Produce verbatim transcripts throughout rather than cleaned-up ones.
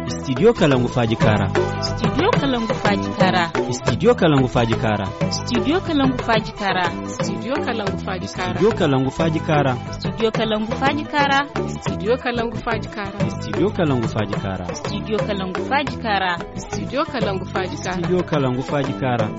Studio kalangu faaji kaara. Studio kalangu faaji kaara. Studio kalangu faaji kaara. Studio kalangu faaji kaara. Studio kalangu faaji kaara. Studio kalangu faaji kaara. Studio kalangu faaji kaara. Studio kalangu faaji kaara. Studio kalangu faaji kaara. Studio kalangu faaji kaara. Studio kalangu faaji kaara. Studio kalangu faaji kaara.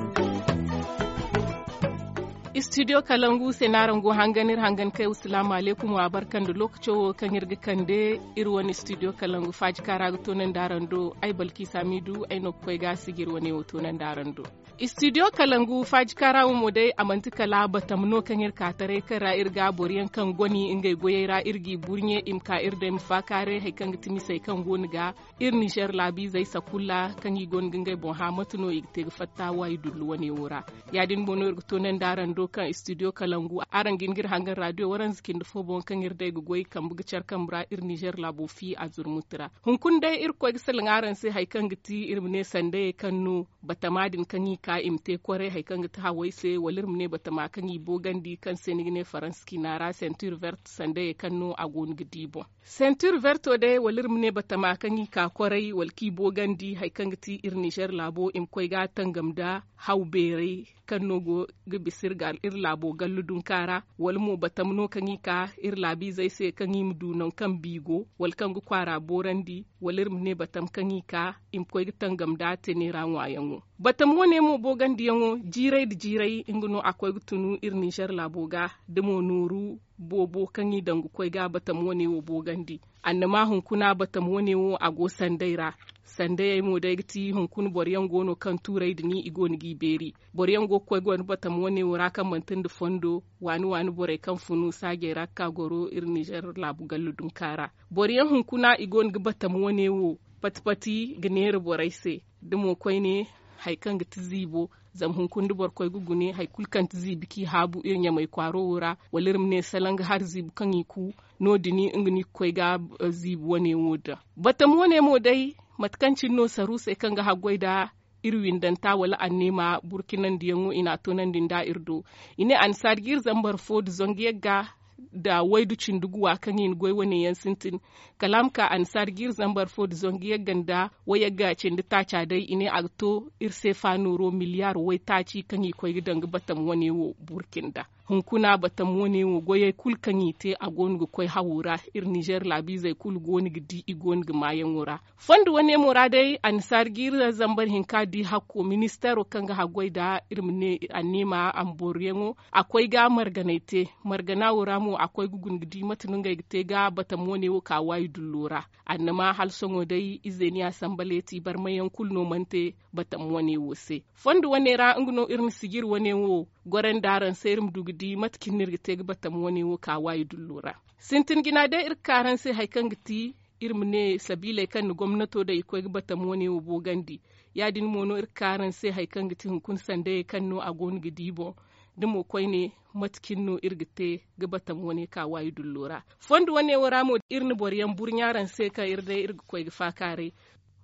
Studio kalangu se no araŋ go hangan iri hangan kay. Salaamu alaykum, wa barka nda lookaco wo kaŋ iri ga kande iri wane studio kalangu faaji kaara ga toonandi araŋ do. Ay balkiisa miidu ay no ga koy ga sijir wane wo toonandi araŋ do. Studio kalangu faaji kaara wo mo day a manti kala batam no kaŋ iri ka taray kaŋ ra iri ga boro yaŋ kaŋ goni ngey goyey ra iri g'i burɲe i ma ka iri day ma faakaaray hari kaŋ ga ti misey kaŋ go no ga iri ninzeer laabiizey sakulla kaŋ i go no ga ngey boŋ hã mate no i ga te ga fatta waayi dullu wane wo ra. Ya- din mo no iri ga toonandi araŋ do kaŋ studio kalangu araŋ ga hin ga iri hangan raadiyo waranza cindi fo boŋ kaŋ iri day ga goy kambe ga care kambe ra iri ninzeer laabo fi a zurmuti ra. Hunkuna day iri ga koy ga salaŋ araŋ se hari kaŋ ga ti iri ma ne sandayey kaŋ no batama din kaŋ i ka i ma te kwaray hari kaŋ ga ti hawey se wala iri ma ne batama kaŋ i boogandi kaŋ se ni ga ne faransa ciina ra sentir vert sandayey kaŋ no a go no ga di boŋ. Sentir verto day wala iri ma ne batama kaŋ i ka kwaray wala kaŋ i boogandi hari kaŋ ga ti iri ninzeer laabo i ma koy ga a tangam nda haw beeray kaŋ no go ga bisa iri laabo gallu dunka ra. Wala mo batam no kaŋ i ka iri laabiizey se kaŋ i ma du nangu kaŋ bi go wala kaŋ ga kwaara boorandi wala iri ma ne batam kaŋ i ka i ma koy ga tangam nda teneera ŋwaayaŋo. Batam wane mo boogandiyaŋo jiiray nda jiiray nga no a koy ga tunu iri ninzeer laabo ga da mo nooru boobo kaŋ i daŋ ga koy ga batam wane wo boogandi. Annama hunkuna batam wane wo a go sanday ra. Sandayey mo day ga ti hunkuna boro yaŋ go no kaŋ tuuray din i go no g'i beeri. Boro yaŋ go ga koy go nda batam wane wo ra kaŋ manti nda fondo waani waani borey kaŋ funu saajey ra ga ka goro iri ninzeer laabu gallu dunka ra. Boro yaŋ hunkuna i go no ga batam wane wo pati pati ga neera borey se da mo koyne hari kaŋ ga ti ziibo. Zama hunkuna da boro koy ga gune hari kulu kaŋ ti ziibi kaŋ i haabu iri ɲamay kwaaro wo ra wala iri ma ne salaŋ ga hari ziibu kaŋ i ku no- din nga no i ga koy ga ziibi wane wo daŋ. Batam wane mo day mate kaŋ cine no saruusey kaŋ ga haggoy nda iri windanta wala anneema burkinandiyaŋo i n'a toonandi nda iri do. I ne annasaari ga iri zambar fo nda zangu yagga nda waydu cindi guwa kaŋ i na goy wane yaŋ sintin. Kala a ma ka annasaari ga iri zambar fo nda zangu yagga nda wayagga cindi taaca day i ne a ga to iri seefa nooro miliyaar waytaaci kaŋ i koy ga daŋ ga batam wane wo burki nda. Hunkuna batam wane wo goyey kulu kaŋ i te a go no ga koy hawo ra. Iri ninzeer laabiizey kulu go no ga di i go no ga maayaŋo ra. Fondo wane mo ra day annasaari ga iri zambar hinka di hakko ministeero kaŋ ga haggoy nda iri ma ne anneema a ma boroyaŋo a koy ga marganay te. Margana wo ra mo a koy ga guna ga di mate no ngey ga te ga batam wane wo ka waayi dullo ra. Annama hala sohõ day izeeni asambaleti barmayaŋ kulu no mana te batam wane wo se. Fondo wane ra nga no iri na sijiri wane wo gorandi araŋ se iri ma du ga di mate cine no iri ga te ga batam wane wo ka waayi dullo ra. Sintin jina day iri ga ka araŋ se hari kaŋ ga ti iri ma ne sabiiley kaŋ na gomnato daŋ i koy ga batam wane wo boogandi. Ya- din mo no iri ga ka araŋ se hari kaŋ ga ti hunkuna sandayey kaŋ no a go no ga di boŋ da mo koyne mate cine no iri ga te ga batam wane ka waayi dullo ra. Fondo wane wo ra mo iri na boro yaŋ burɲa araŋ se kaŋ iri day iri ga koy ga faakaaray.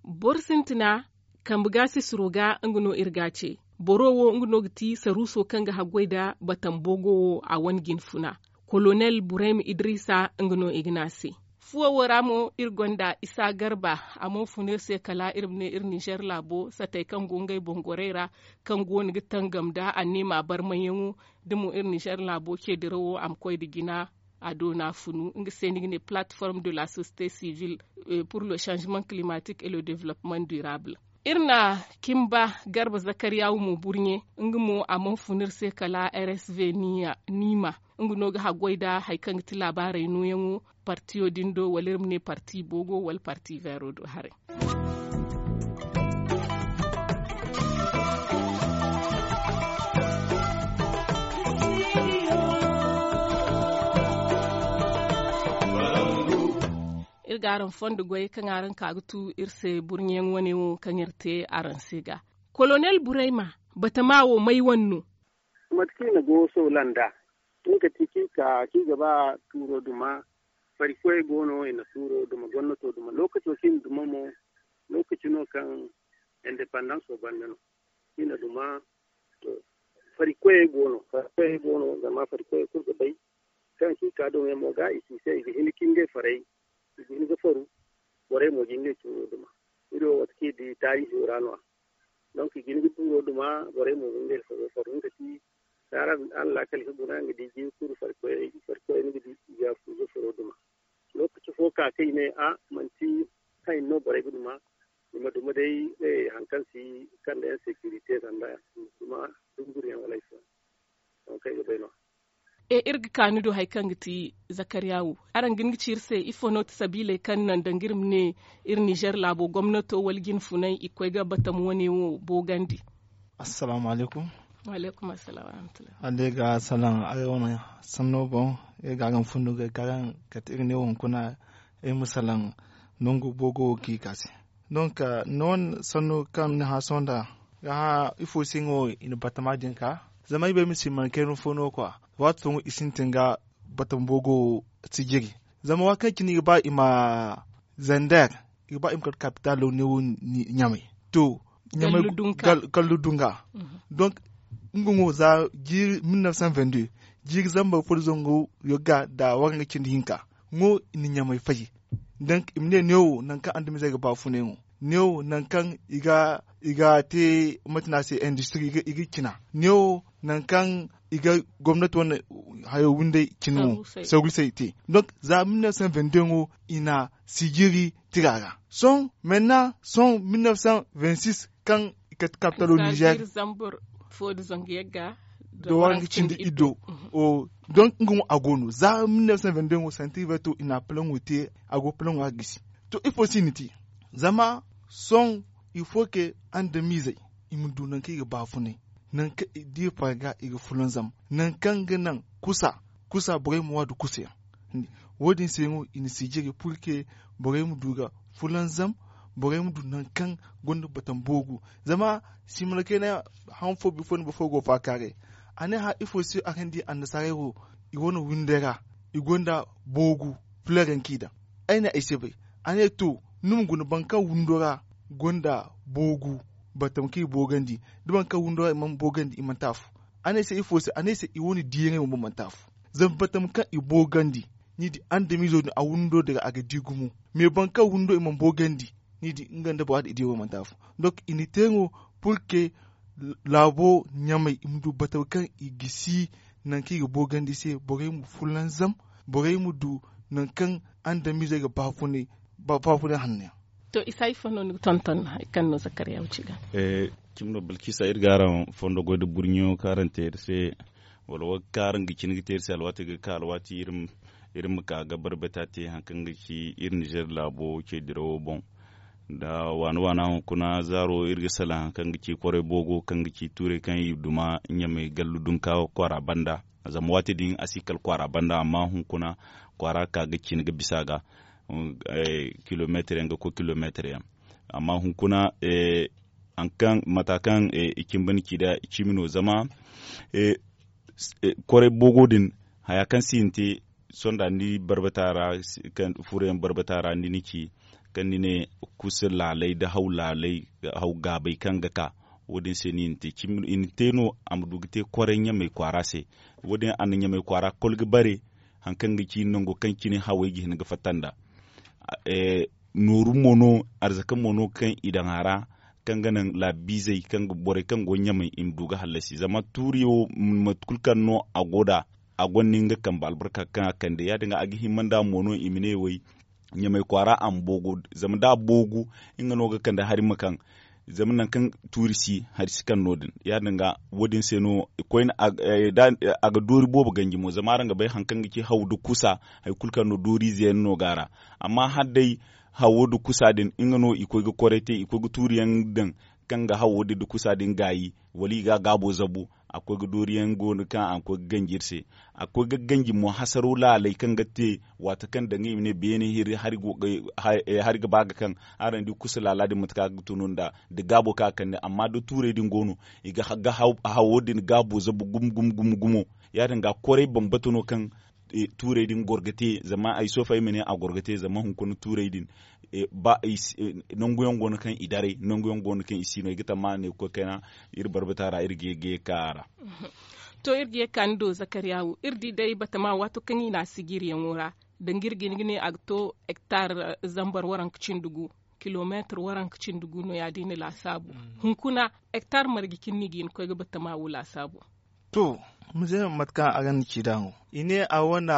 Boro sintina kambe ga sisiro ga nga no iri ga a ce. Boro wo nga no ga ti saruuso kaŋ ga haggoy nda batam boogo wo a wane jine funa. Kolonel burayma idrisa nga no i ga ne a se. Fuwo wo ra mo iri gonda isa garba. A mana fun iri se kala iri ma ne iri ninzeer laabo satey kaŋ go ngey boŋ gorey ra kaŋ go no ga tangam nda anneema barmayaŋo da mo iri ninzeer laabo ce dirawo a ma koy nda jina. A doona funu nga se ni ga ne plateforme de la société civile pour le changement climatique et le développement durable. Iri na kimba garba zakariyawu mo burɲe. Nga mo a mana fun iri se kala rsv niima. Nga no ga haggoy nda hari kaŋ ga ti laabaarey nooyaŋo partiyo din do wala iri ma ne parti boogo wala parti veero do haray. Iri ga araŋ fondo goy kaŋ araŋ ka ga tu iri se burɲeyaŋ wane wo kaŋ iri te araŋ se ga. Kolonel burayma batama wo may wane no? Mate kaŋ i na go soola nd'a tun ka ti kaŋ i ka kaŋ i ga ba tuuro duma. Farikoyey go no i na tuuro duma gomnato duma lookaco kaŋ i na duma mo. Lookaci no kaŋ indepandanso banda no i na duma. To farikoyey go no farikoyey go no zama farikoyey kulu ga bay kaŋ kaŋ i ka duma yaŋ mo ga i si se i ga hin ka ngey farey i ga hin ga faru. Borey mo ga ngey tuuro duma. Iri wo waati kaŋ iri di taariihi wo ra no- ya. Donk i ga hin ga tuuro duma. Borey mo ga ngey faru faru nga ti. Za araŋ laakal ga guna nga di jiiri kulu farikoyey farikoyey ni ga di i ga furo duma. Lookaci fo ka kaŋ i ne a manti hayo no borey ga duma. I ma duma day hari kaŋ si kande insekirite sanda i ma duma dunguriyaŋ wala ifo. Donk ay ga bay no- ya. E iri ga ka ni do hari kaŋ ga ti zakariya wo, araŋ ga hin ga ci iri se ifo no ti sabiiley kaŋ naŋ danga iri ma ne iri nizer laabo gomnato wala jinfunay i ga koy ga batam wane wo boogandi? Assalaamu alaykum. Wa alaykum assalam wa rahmatullahi. Hala day ga salaŋ ay wane sanno boŋ. Iri ga a ga ma fundu ga ay kaaraŋ kate iri ne wo hunkuna ay ma salaŋ nangu boogo wo kaŋ i ka se. Donk ni wane sanno kaŋ ni hã sohõ nd'a ga hã ifo se nga wo i na batama din ka? Zama ay bay ma si mana kayna fo no kwa. Waati fooyaŋ i sintin ga batama boogo sijiri. Zama waati kaŋ cine i ga ba i ma zander i ga ba i ma kate kapitalo neewo ɲamay to ɲamay gallu dunga. Donk nga mo za jiiri mille neuf cent vingt deux jiiri zambar fo da zangu yagga nda waranga cindi hinka. Ngo i na ɲamay fay. Donk i ma ne neewo nangu kaŋ andamizey ga baafunay mo neewo nangu kaŋ i ga te mate no a se industri i ga cina neewo nangu kaŋ i ga gomnati wane hayo windey cine mo sarusey te. Donk za mille neuf cent vingt deux ngo i na sijiri tira ra sohõ menna sohõ mille neuf cent vingt six kaŋ i kate kapitalo nizer da waranka cindi iddo. Donk nga mo a go no za mille neuf cent vingt deux ngo santi verto i na palaŋo te a go palaŋo a gisi. To ifo se i na te zama sohõ il faut que andamizey i ma du nangu kaŋ i ga baafunay nangu kaŋ i di farga i ga fulanzam nangu kaŋ ga naŋ kusa kusa borey ma wa nda kusa yaŋ. Wo- din se no i na sijiri purke borey ma du ga fulanzam borey ma du nangu kaŋ gonda batam boogu. Zama simana kayna han fo bifo ni boro fo go faakaaray a ne hã ifo se a kaŋ di annasaarey wo i wane windey ra i gonda boogu fileer yaŋ kaŋ i daŋ. Ay ne ay si bay a ne to ni ma guna boro kaŋ windo ra gonda boogu batam kaŋ i boogandi da boro kaŋ windo ra i mana boogandi i manti afo. A ne ay se ifo se a ne ay se i wane diiyaŋey wo manti afo. Zama batam kaŋ i boogandi ni di andamizo din a windo din ra a ga di gumo. Mais boro kaŋ windo i mana boogandi ni di nga nda bora din i diyaŋo manti afo. Donk i na te no purke laabo ɲamay i ma du batam kaŋ i gisi nangu kaŋ i ga boogandi se borey ma fulanzam borey ma du nangu kaŋ andamizey ga baafunay hanney. To isa ifo no ni ga tonton hari kaŋ no zakariya wo ci ga? Cimi no balkisa iri ga araŋ fondo goy nda burɲo kaŋ araŋ te iri se wala wo kaŋ araŋ ga cine ga te iri se alwaati ga ka alwaati iri ma ka ga barbata te hari kaŋ ga ci iri nizer laabo ce dirawo boŋ. Nda waana waana hunkuna zaaro iri ga salaŋ hari kaŋ ga ci kwaray boogo kaŋ ga ci tuurey kaŋ i duma ɲamay gallu dunka kwaara banda. Zama waati din a si kala kwaara banda amma hunkuna kwaara ka ga cine ga bisa ga kilomeetir yaŋ ga koy kilomeetir yaŋ. Amma hunkuna hari kaŋ mata kaŋ i cimba ni ci nda cimi no zama kwaray boogo din haya kaŋ si hin te sonda ni barbata ra furoyaŋ barbata ra ni na ci kaŋ ni ne kusa laalay nda haw laalay haw gaabay kaŋ ga ka. Wo- din se no i na te no a ma du ga te kwaray ɲamay kwaara se. Wo- din a na ɲamay kwaara kol ga bare hari kaŋ ga ci nango kaŋ cine hawey ga hin ga fatta nd'a. Nooru mo no arzaka mo no kaŋ i daŋ a ra kaŋ ga naŋ laabiizey kaŋ ga borey kaŋ go ɲamay i ma du ga hallasi zama tuuri wo mate kulu kaŋ no a go nd'a a gonda nga kambe albarka kaŋ a kande ya- din ga a ga hima nd'a mo no i ma ne way ɲamay kwaara a ma boogu zama da a boogu nga no ga kande hari ma kaŋ zama nangu kaŋ tuuri si hari si kaŋ no- din ya- din ga wo- din se no koyne a ga doori boobo ganji mo zama araŋ ga bay hari kaŋ ga ci haw nda kusa hari kulu kaŋ no dooriize yaŋ no go a ra. Amma hala day hawo nda kusa din nga no i koy ga kwaray te i koy ga tuuri yaŋ daŋ kaŋ ga hawo din nda kusa din gaayi wala i ga a gaabo zabu a koy ga doori yaŋ go no kaŋ a koy ga ganji iri se. A koy ga ganji mo hasaro laalay kaŋ ga te waati kaŋ danga i ma ne beene hari ga ba ga kaŋ araŋ di kusa laala din mate kaŋ a ga tunu nda gaabo kaŋ a kande amma da tuurey din go no i ga hawo din gaabo zabu gumo gumo gumo gumo. Ya- din ga kwaray bambata no kaŋ tuurey din goro ga te zama ay sofa ay ma ne a goro ga te zama hunkuna tuurey din ba nangu yaŋ go no kaŋ i daray nangu yaŋ go no kaŋ i si no ay ga tammaha ne ga koy kayna iri barbata ra iri ga ye ga ye ga ka a ra. To iri ga ye ga ka ni do zakariya wo iri di day batama waato kaŋ i na a sijiriyaŋo ra Danga iri ga hin ga ne a ga to hektar zambar waranka cindi gu, kilomeetir waranka cindi gu no ya- din ni laasaabu. Hunkuna hektar marje cindi no i ga hin ga koy ga batama wo laasaabu. To, mize mate kaŋ a ga ni ci nd'a wo, i ne a wane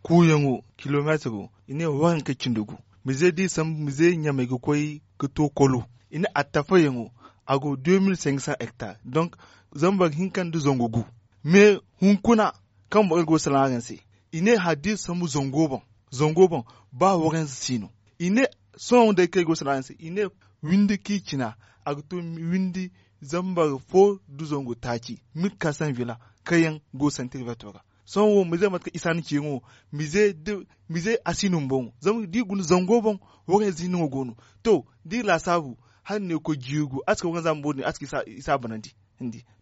kuuyaŋo kilomeetiro, i ne waranka cindi gu. Mize da i sambu mize ɲamay ga koy ga to kolo, i ne a tafayaŋo, a go deux mille cinq cents hectares. Donc zambar hinka nda zangu gu. Mais hunkuna kaŋ borey go ga salaŋ araŋ se, i ne hala da i sambu zango boŋ, zango boŋ, ba waranza si no. I ne sohõ day kaŋ ay go ga salaŋ araŋ se, i ne windi kaŋ i cina, a ga to windi zambar fo nda zangu taaci, mille quatre cents villa kaŋ yaŋ go ga santir verto ra. Sohõ wo mize mate kaŋ isa ni ci yaŋo, mize a si no ni boŋ zama da i guna zango boŋ, waranza hinne no go no. To, da i laasaabu hala ni ne ga koy jiiri gu a si ka waranza bumbo din a si ka isa banandi.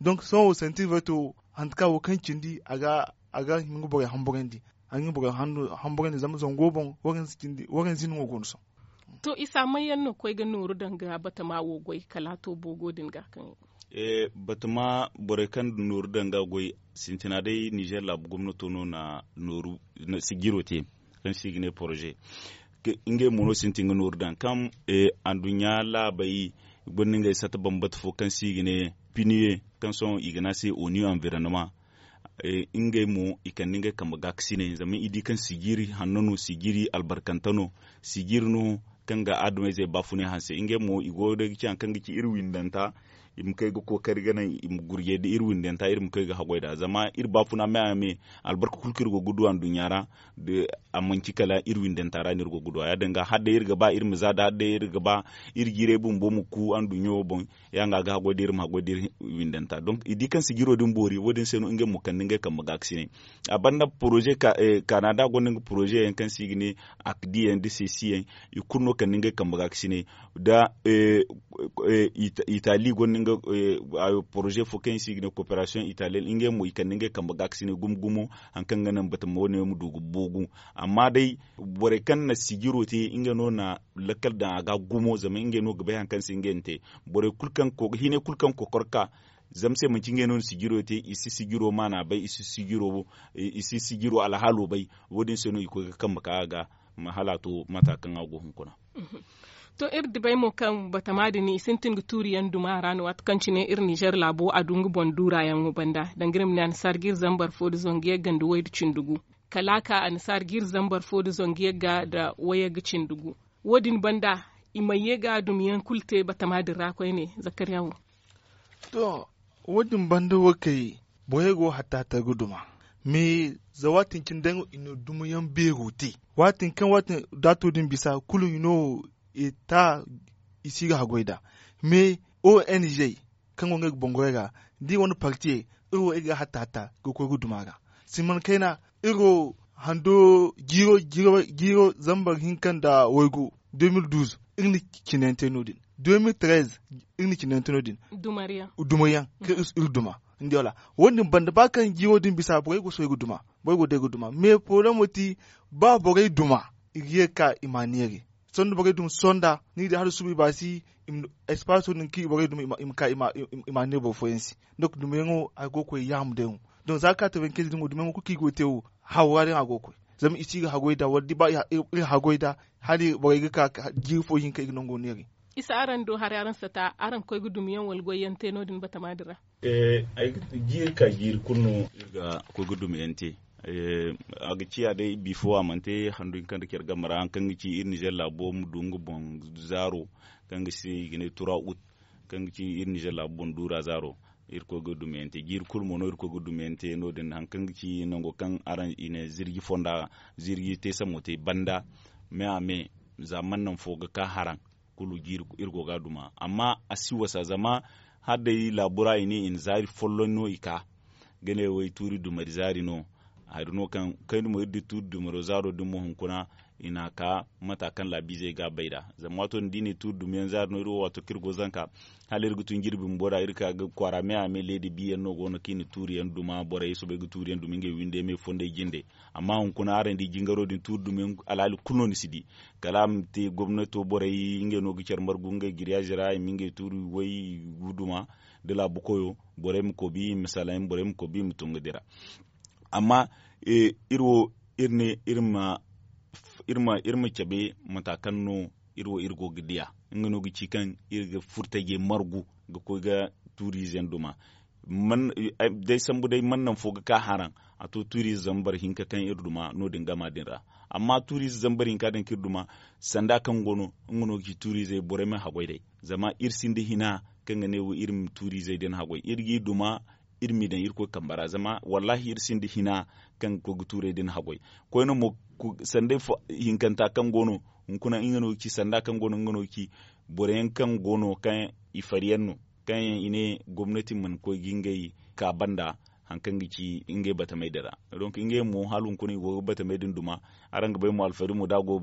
Donc sohõ santir verto, hantu kaŋ wo kaŋ cindi a ga hin ga borey hamburandi, a ga hin ga borey hamburandi zama zango boŋ, waranza hinne no go no sohõ. To isa may yaŋ no ga koy ga nooru danga batama wo goy kala a to boogo din ga kaŋ batama borey kaŋ nooru danga goy, sintina day nizer laabu gomnato no na nooru sijiro te, kaŋ se i ga ne poroze. Ngey mo no sintin ga nooru daŋ kaŋ anduɲɲa laabey gonda ngey sata bambata fo kaŋ se i ga ne piniye, kaŋ sohõ i ga ne a se oniyo anvironnement. Ngey mo i kande ngey kambe gaakasinay zama i di kaŋ sijiri hanno no, sijiri albarkante no, sijiri no kaŋ ga adamayzey baafunay hanse. Ngey mo i go day ga ci hari kaŋ ga ci iri windanta, i ma kay ga kookari ga naŋ i ma gurjay da iri windanta iri ma kay ga haggoy nd'a zama iri baafuna me a me. Albarka kulu kaŋ iri go ga du anduɲɲa ra, a manci kala iri windanta ra no iri go ga du a ya- din ga hala day iri ga ba iri ma za da hala day iri ga ba iri jiiray bumbo ma ku anduɲɲo boŋ. Ya- din ga a ga haggoy da iri ma haggoy da iri windanta donk i di kaŋ sijiro din boori wo- din se no ngey mo kande ngey kambe gaakasinay. A banda poroze, kanada gonda nga poroze yaŋ kaŋ se i ga ne akdi yaŋ nda sesi yaŋ, i kulu no kande ngey kambe gaakasinay. Da itali gonda nga poroze fo kaŋ i se i ga ne koperasiyoŋ italiyen ngey mo i kande ngey kambe gaakasinay gumo gumo. Hari kaŋ ga naŋ batama wo- ne ma du ga boogu. Amma day borey kaŋ na sijiro te ngey no na lakkal daŋ a ga gumo zama ngey no ga bay hari kaŋ se ngey na te. Borey kulu kaŋ ga hinay kulu kaŋ ga kokor ga ka zama se manci ngey no na sijiro te i si sijiro maana bay i si sijiro alhaalo bay. Wo- din se no i koy ga kambe ka a ga hala a to mata kaŋ a go hunkuna. To iri dibay mo kaŋ batama din i sintin ga tuuri yaŋ duma ra no waati kaŋ cine iri nizer laabo a du nga boŋ duurayaŋo banda danga iri ma ne annasaara ga iri zambar fo nda zangu yagga nda way nda cindi gu. Kala a ka annasaara ga iri zambar fo nda zangu yagga nda way yagga cindi gu. Wo- din banda i mana ye ga dumiyaŋ kulu te batama din ra koyne zakariya wo. To, wo- din banda wo kay borey go hatta hatta ga duma. Mais za waatin cine day no i na dumiyaŋ beero te. Waatin kaŋ waatin daato din bisa kulu i no eta i si ga haggoy nd'a. Mais ong kaŋ go ngey ga boŋ goyey ra da i wane partiyey, iri wo iri ga hatta hatta ga koy ga duma ra. Siman kayna iri wo hando jiiro zambar hinka nda waygu deux mille douze iri na cinayaŋ te no- din. Deux mille treize iri na cinayaŋ te no- din. Dumaryaŋ kaŋ iri duma. Ni di wala? Wo- din banda ba kaŋ jiiro din bisa borey go soobay ga duma. Borey go day ga duma mais poroblemo ti ba borey duma i ga ye ga ka i ma a neeri. Sanda borey duma sonda ni ga di hala suba i baasi. Espaaso din kaŋ i borey duma i ma ka i ma a neeri boro fooyaŋ se. Donk dumayaŋo a go ga koy yaama day wo. Donk za ga ka tabankey din wo dumayaŋo kulu kaŋ i go ga te wo hawra din a go ga koy. Zama i si ga haggoy nd'a wala da ba iri haggoy nd'a hala borey ga ka jiiri fo hinka i ga nango neeri. Isa araŋ do haray araŋ sata araŋ ga koy ga dumiyaŋ wala goyyaŋ te no- din batama din ra? Jiiri ka jiiri kulu no iri ga koy ga dumiyaŋ te. A ga ciya day bifo a mana te handu hinka nda care game ra hari kaŋ ga ci iri nizer laabo ma du nga boŋ zaaro kaŋ ga se i ga ne tura ut kaŋ ga ci iri nizer laabo boŋ duura zaaro. Iri koy ga dumiyaŋ te jiiri kulu mo no iri koy ga dumiyaŋ te no- din hari kaŋ ga ci nango kaŋ araŋ i ne zirji fonda zirji te samo te banda. Me a me za mana naŋ fo ga ka haraŋ kulu jiiri iri go ga a duma amma a si wasa zama hala day laabu ra i ne i na zaari folloŋ no i ka ga ne way tuuri dumari zaari no. Hari no kaŋ kayna mo iri di tuuri dumaro zaaro din mo hunkuna i na a ka mata kaŋ laabiizey ga a bay nd'a. Zama waato din da i ne tuuri dumayaŋ zaari no iri wo waato kaŋ iri go zanka hala iri ga tun jirbi bumbo ra iri ka ga kwaara me a me leedi biyaŋ no go no kaŋ i na tuuriyaŋ duma borey soobay ga tuuriyaŋ duma ngey windey me fondey jinde. Amma hunkuna araŋ di jingaro din tuuri dumayaŋ alhaali kulu no ni si di. Kala a ma te gomnato borey ngey no ga care margu ngey giriyaazi ra i ma ngey tuuri way i ga duma da laabu koyo borey ma koy bi i ma salaŋ borey ma koy bi i ma tun ga dira. Amma iri wo iri ne iri ma Iri ma cabe mata kaŋ no iri wo iri go ga diya. Nga no ga ci kaŋ iri ga furtajey margu ga koy ga tuuriize yaŋ duma. Day sambu day man naŋ fo ga ka haraŋ a to tuuriize zambar hinka kaŋ iri duma no- din gama din ra. Amma tuuriize zambar hinka din kaŋ iri duma sanda kaŋ go no nga no ga ci tuuriizey borey ma haggoy day. Zama iri sinda hina kaŋ ga ne wo iri ma tuuriizey din haggoy iri g'i duma iri m'i daŋ irkoy kambe ra zama wallaahi iri sinda hina kaŋ ga koy ga tuurey din haggoy. Koyne mo sanday hinkanta kaŋ go no hunkuna nga no ga ci sanda kaŋ go no nga no ga ci boro yaŋ kaŋ go no kaŋ i fari yaŋ no kaŋ yaŋ i ne gomnati mana koy ga ngey ka banda hari kaŋ ga ci ngey batamey din ra. Donk ngey mo hala hunkuna i go ga batamey din duma. Araŋ ga bay mo alfari mo da a go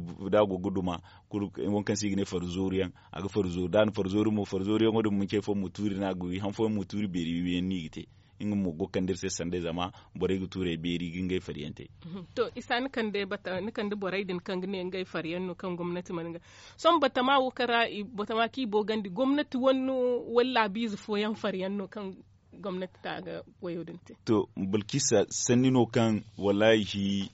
ga duma waŋ kaŋ se i ga ne farzooru yaŋ a ga farzoori da a na farzoori mo farzoori yaŋo din manci hari fooyaŋ ma tuuri no a ga wi hari fooyaŋ ma tuuri beeri wi yaŋ no i ga te. Nga mo go ga kande iri se sanday zama borey ga tuurey beeri ga ngey fari yaŋ te. To isa ni kande borey din kaŋ ga ne ngey fari yaŋ no kaŋ gomnati mana nga sohõ batama wo kaŋ ra batama kaŋ i boogandi gomnati wane no wala laabiize fooyaŋ fari yaŋ no kaŋ gomnati ta ga wayo din te. To balkisa sanni no kaŋ wallaahi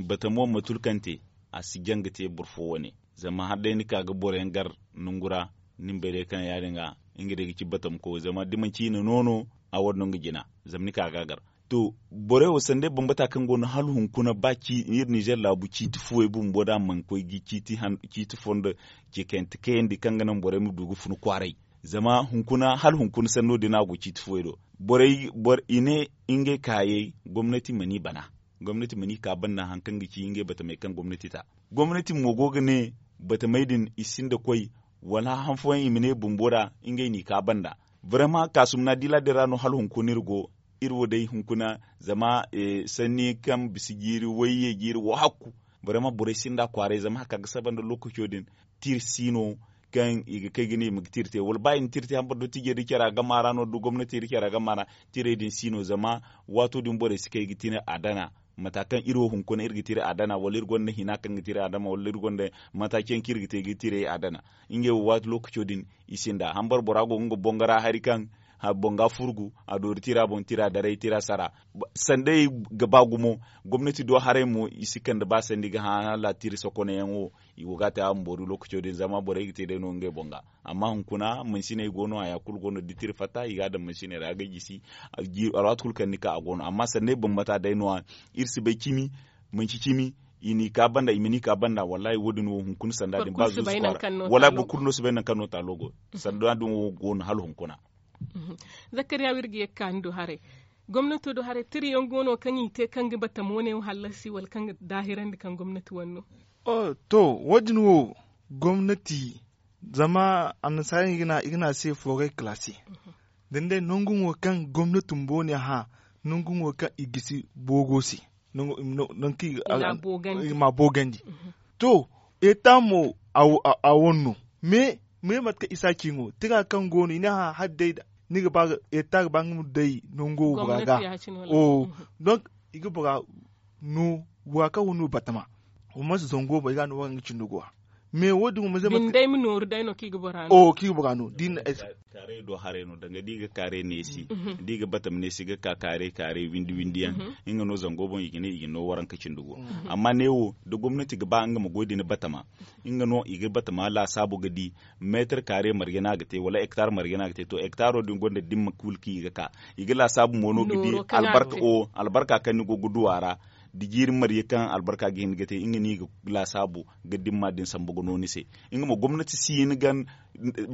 batamo ma tulu kaŋ te a si jaŋ ga te boro fo wane. Zama hala day ni ka ga boro yaŋ gar nangu ra ni ma bay day kaŋ ya- din ga nga day ga ci batamko zama da manci i na no no a wane no nga jina. Zama ni ka ga a gar to borey wo sanday bambata kaŋ go no hala hunkuna ba iri ninzeer laabu ciiti fuwey bumbo da a mana koy ga ciiti fondo ceekayante kayandi kaŋ ga naŋ borey ma du ga fun kwaaray. Zama hunkuna hala hunkuna sanno din no a go ciiti fuwey do. Borey i ne ngey kaayey gomnati mana i bana. Gomnati mana i ka banda hari kaŋ ga ci ngey batamey kaŋ gomnati ta. Gomnati mo go ga ne batamey din i sinda koy wala han fooyaŋ i ma ne bumbo ra ngey n'i ka banda. Barama kaasumna diila din ra no hala hunkuna iri go. Iri wo day hunkuna zama sanni kaŋ bisa jiiri wayye jiiri wahakku. Barama borey sinda kwaaray zama hari kaŋ a ga saba nda lookaco din tiri si no kaŋ i ga kay ga ne i ma ga tiri te wala ba i na tiri te hambara dottijey da care a gama ra no da gomnatey da care a gama ra. Tirey din si no zama waato din borey si kay ga tiri a dana mata kaŋ iri wo hunkuna iri ga tiri a dana wala iri gonda hina kaŋ ga tiri a dana wala iri gonda mata kaŋ iri ga te ga tirey a dana. Ngey wo waati lookaco din i sinda hambara bora go ga nga boŋ ga ra hari kaŋ boŋ ga furgu a doori tira boŋ tira daray tira sara. Sanday ga ba gumo gomnati do haray mo i si kande ba sandi ga hã hala tiri sokonayaŋ wo. I go ga a te a ma boori lookaco din zama borey ga te day no ngey boŋ ga. Amma hunkuna mansiney go no haya kulu go no da tiri fatta i ga a daŋ mansiney ra ga gisi. Alwaati kulu kaŋ ni ka a go no amma sanday bambata day no- ya iri si bay cimi manci cimi i n'i ka banda i ma n'i ka banda wallaahi wo- din wo hunkuna sanda din ba zuusu kwaara. Wallaahi boro kulu no si bay nangu kaŋ no taalo go. Sanda din wo go no hala hunkuna. Zakkariya wo iri ga ye ga ka ni do haray. Gomnato do haray tira yaŋ go no kaŋ i te kaŋ ga batamo ne wo hallasi wala kaŋ ga daahirandi kaŋ gomnati wane no? To wo- din wo gomnati zama annasaara yaŋ i ga ne a se forey kalaasi. Da ni day nangu mo kaŋ gomnati bumbo ne hã nangu mo kaŋ i gisi boogo se. Nangu kaŋ i ga ma boogandi. To eta mo a wane no. Me mate kaŋ isa ci no tira kaŋ go no i ne hã hala day da ni ga ba eta ga ba nga ma day nango wo bora ga. Donk i ga bora no bora kaŋ wo no batama wo mansi zango boŋ i ga no wara nga cindi go ra. Mais wo- din wo mansi day ma nooru day no kaŋ i ga bora no. Kaarey do haray no danga da i ga kaarey neesi da i ga batama neesi ga ka kaarey kaarey windi windi yaŋ. Nga no zango boŋ i ga ne i ga no waranka cindi go. Amma neewo da gomnati ga ba nga ma goy da ni batama nga no i ga batama laasaabu ga di meetar kaarey marje no a ga te wala hektar marje no a ga te to hektaro din gonda dimma kulu kaŋ i ga ka. I ga laasaabu mo no ga di albarka kaŋ ni go ga du a ra. Da jiiri marje kaŋ albarka ga hin ga te nga no i ga laasaabu ga dimma din sambu ga no ni se. Nga mo gomnati si hin ga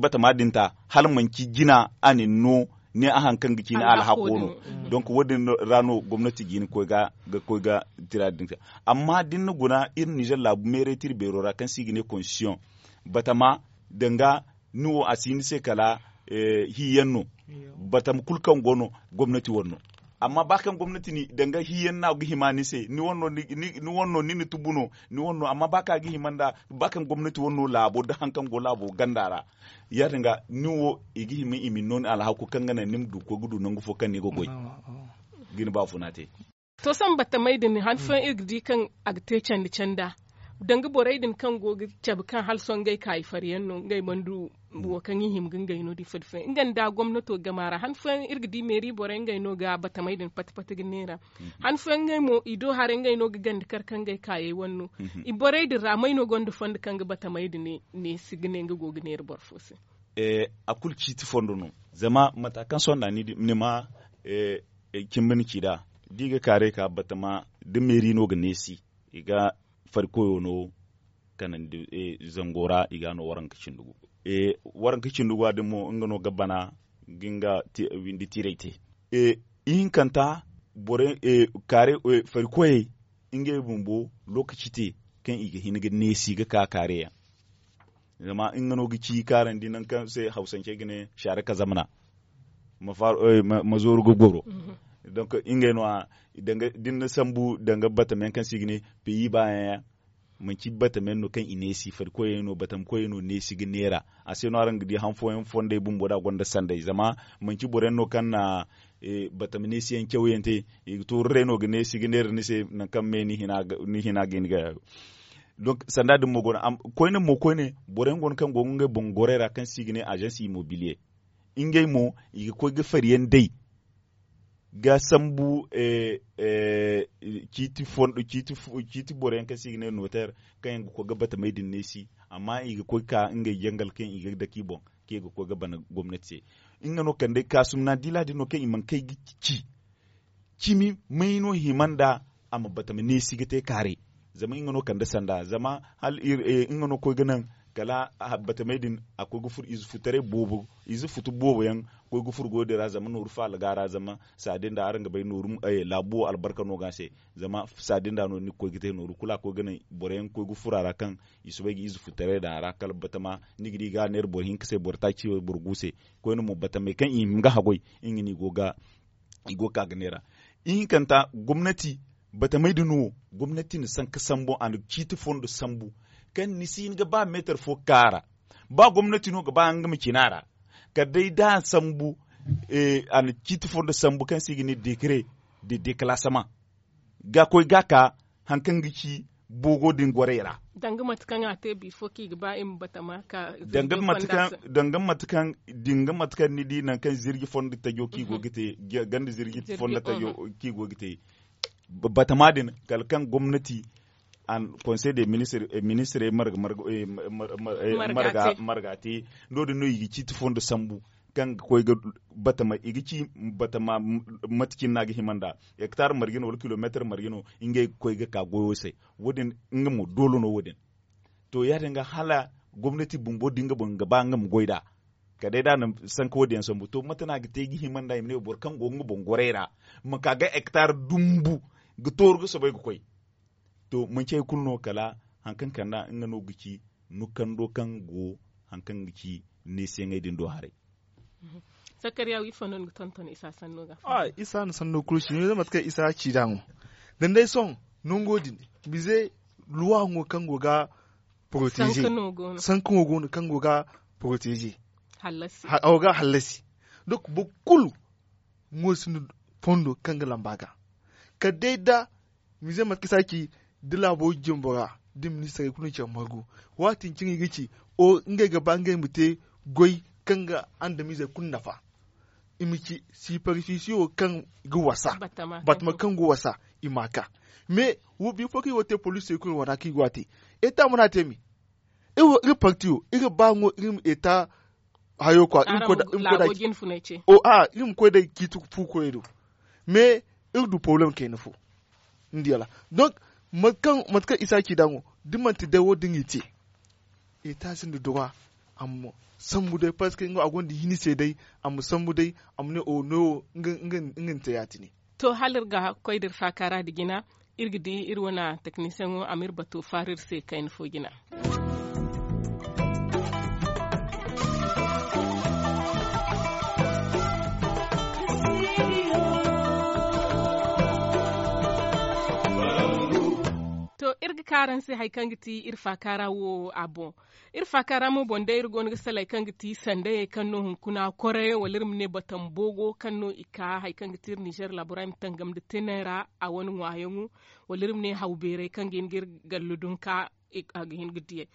batama din ta hala manci jina a na ni no ne a hari kaŋ ga ci ni alhako no. Donk wo- din ra no gomnati ga hin ga koy ga tira din te. Amma da ni na guna iri nizer laabu meeray tira beero ra kaŋ se i ga ne konstisiyoŋ batama danga ni wo a si ni se kala hi yaŋ no. Batama kulu kaŋ go no gomnati wane no. Amma ba kaŋ gomnati ni danga hi yaŋ no a ga hima ni se ni wane no ni na tubu no. Ni wane no amma ba kaŋ a ga hima nda ba kaŋ gomnati wane no laabo nda hari kaŋ go laabo ganda ra ya- din ga ni wo i ga hima i ma ni no ni alhaku kaŋ ga naŋ ni ma du ga koy ga du nangu fo kaŋ ni ga goy. Ga ni baafuna te. To sohõ batamey din hari fooyaŋ iri ga di kaŋ a ga te candi canda. Danga borey din kaŋ go ga cabe kaŋ hala sohõ ngey kaayi fari yaŋ no ngey mana du wo kaŋ i hima ga ngey no da ifo da ifo yaŋ nga nda gomnato game a ra han fooyaŋ iri ga di meeri borey ngey no ga batamey din pati pati ga neera. Han fooyaŋ ngey mo i do haray ngey no ga ganda kar kaŋ ngey kaayey wane no. Borey din ra may no gonda fondo kaŋ ga batamey din neesi ga ne nga go ga neera boro fo se? A kulu ciiti fondo no. Zama mata kaŋ sohõ nda ni ma cimba ni ci nd'a da i ga kaaray ka batama da meeri no ga neesi i ga fari koyo no kanandi zango ra i ga a no waranka cindi gu. Waranka cindi gu a din mo nga no ga bana ga nga windi tiray te. Ihinkanta borey kaare fari koyey ngey bumbo lookaci te kaŋ i ga hin ga neesi ga ka kaare yaŋ. Zama nga no ga ci kaarandi nangu kaŋ se hawsancey ga ne shaare ka zamana ma zooru ga goro. Donk ngey no- ya da ni na sambu danga batama yaŋ kaŋ se i ga ne peyi baayaŋ yaŋ. Manci batama yaŋ no kaŋ i neesi fari koyey no batama koyey no neesi ga neera. A se no araŋ ga di han fooyaŋ fondey bumbo da a gonda sanday zama manci boro yaŋ no kaŋ na batama neesi yaŋ cawyaŋ te. I ga tooru day no ga neesi ga neera ni se nangu kaŋ me ni hina ga hin ga. Donk sanda din mo go no koyne mo koyne boro yaŋ go no kaŋ go ga ngey boŋ gorey ra kaŋ se i ga ne agence immobilier. Ngey mo i ga koy ga fari yaŋ day ga sambu ciiti boro yaŋ kaŋ se i ga ne noter kaŋ yaŋ ga koy ga batamey din neesi. Amma i ga koy ga ka ngey jangal kaŋ i ga dake i boŋ kaŋ i ga koy ga bana gomnati se. Nga no kande kaasumna diila din no kaŋ i mana kay ga ci cimi may no hima nda a ma batama neesi ga te kaaray. Zama nga no kande sanda zama hala nga no koy ga naŋ kala batamey din a koy ga furo ize futaray boobo ize futu boobo yaŋ koy ga furo goyo din ra zama nooru faala ga a ra zama saadi nda araŋ ga bay nooru laabu wo albarka no ga a se. Zama saadi nda no ni ga koy ga te nooru kulu a koy ga naŋ boro yaŋ ga koy ga furo a ra kaŋ i soobay ga ize futaray daŋ a ra kala batama ni ga di ga a neera boro hinka se boro taaci boro gu se. Koyne mo batamey kaŋ i hima ga haggoy nga no i go ga i go ga ka ga neera. Ihinkanta gomnati batamey din wo gomnati na sanka sambu a na ciiti fondo sambu kaŋ ni si hin ga ba meetar fo ga ka a ra. Ba gomnati no ga ba nga ma cina a ra kala day da a sambu a na ciiti fondo sambu kaŋ se i ga ne dekare de deklaasama ga koy ga ka hari kaŋ ga ci boogo din gorey ra. Danga mate kaŋ a te bifo kaŋ i ga ba i ma batama ka danga mate kaŋ da nga mate kaŋ ni di nangu kaŋ zirji fondo tajo kaŋ i go ga te ganda zirji fondo tajo kaŋ i go ga te batama din kala kaŋ gomnati conseil de ministre marga te. No- din no i ga ciiti fondo sambu kaŋ ga koy ga batama i ga ci batama mate cine no a ga hima nda hektar marje no wala kilomeetar marje no ngey ga koy ga ka goyo se. Wo- din nga mo doole no wo- din. To ya- din ga hala gomnati bumbo da nga boŋ ga ba nga ma goy nd'a kala day da a na sanka wo- din yaŋ sambu to mate no a ga te ga hima nda i ma ne boro kaŋ go nga boŋ gorey ra ma ka ga hektar dumbu ga tooru ga soobay ga koy. To manci hari kulu no kala hari kaŋ kande nga no ga ci nukando kaŋ go hari kaŋ ga ci neesiyaŋey din do haray. Sakariya wi fondo ni ga tonton isa sanno ga a isa na sanno kulu si ni zama mate kaŋ isa ci da mo. Danga day sohõ nango din bize luwa ŋo kaŋ go ga protege sanka ŋo go no kaŋ go ga protege. Awo ga hallasi. Donk boro kulu ŋo sinda fondo kaŋ ga lamba ga kala day da mize mate kaŋ i si a ci da laabo jumbo ra da ministirey kulu na care margu. Waati din cine i ga ci ngey ga ba ngey ma te goy kaŋ ga andamizey kulu nafa. I ma ci siparsisiyo kaŋ ga wasa batama kaŋ ga wasa i ma a ka. Mais wo bifo kaŋ i go ga te polisey kulu wane ra kaŋ i go ga te eta mana te me iri parti wo iri ba ŋo iri ma eta hayo kwa iri ma koy da iri ma koy da ciiti fu koy do. Mais iri du problème kayna fo ni di wala? Donc mate kaŋ isa ci da ŋo da manti day wo- din i te eta sinda droit a ma sambu day parce que nga a gonda hini se day a ma sambu day a ma ne o no wo nga ni te ya- tine. To hala iri ga koy da iri faaka ra da jina iri ga di iri wane teknisiyeŋo a ma iri bato faaru iri se kayna fo jina. To iri ga ka araŋ se hari kaŋ ga ti iri faaka ra wo a boŋ. Iri faaka ra mo boŋ day iri go no ga salay kaŋ ga ti sandayey kaŋ no hunkuna koray wala iri ma ne batam boogo kaŋ no i ka hari kaŋ ga ti iri nizer laabo ra i ma tangam nda teney ra a wane ŋwaayaŋo wala iri ma ne haw beerey kaŋ ga hin ga iri gallo dunka. a ga hin ga diyay.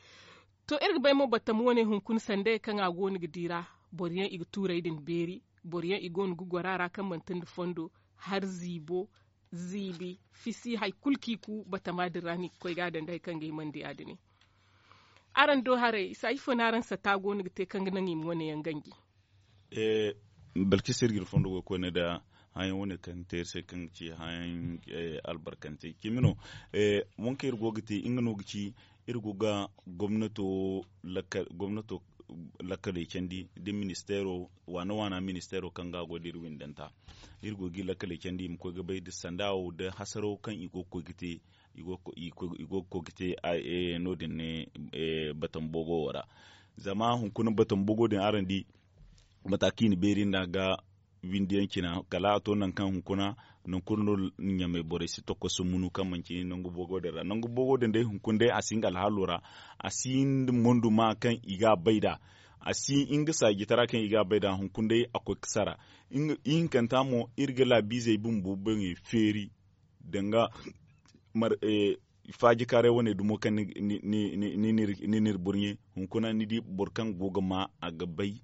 To iri ga bay mo battam wane hunkuna sandey kaŋ a go no ga di ra, boro yaŋ i ga tuurey din beeri, boro yaŋ i go no ga goro a ra kaŋ manti nda fondo, hala ziibo, ziibi, fisi hari kulu kaŋ i ku batama din ra no i ga koy ga a daŋ da hari kaŋ ga hima nda ya- din. Araŋ do haray isa ifo no araŋ sata go no ga te kaŋ ga naŋ i ma wane yaŋ ganji? Balkisa iri ga iri fondo goy koyne nda hayaŋ wane kaŋ ga te iri se kaŋ ga ci hayaŋ albarkante cimi no. Wo kaŋ iri go ga te nga no ga ci iri go ga gomnato lakkaley candi nda ministeero waana waana ministeero kaŋ ga a goy da iri windanta. Iri go ga i lakkaley candi i ma koy ga bay nda sanda wo nda hasaro kaŋ i go ga koy ga te i go ga koy ga te no- din ne batambogo wo ra. Zama hunkuna batambogo din araŋ di mata kaŋ i na beeri nd'a ga windi yaŋ cina kala a to nangu kaŋ hunkuna nangu kulu no ɲamey borey si tokkoso munu kaŋ manci nangu bogo din ra nangu bogo din day hunkuna day a si nga alhaalo ra. A si nda mondu ma kaŋ i ga a bay nd'a a si nga saajitara kaŋ i ga a bay nd'a hunkuna day a koy ga sara. Ihinkanta mo iri ga laabiizey bumbo boŋey feeri danga faaji kaaray wane dumo kaŋ ni n'iri burɲe hunkuna ni di boro kaŋ go ga ma a ga bay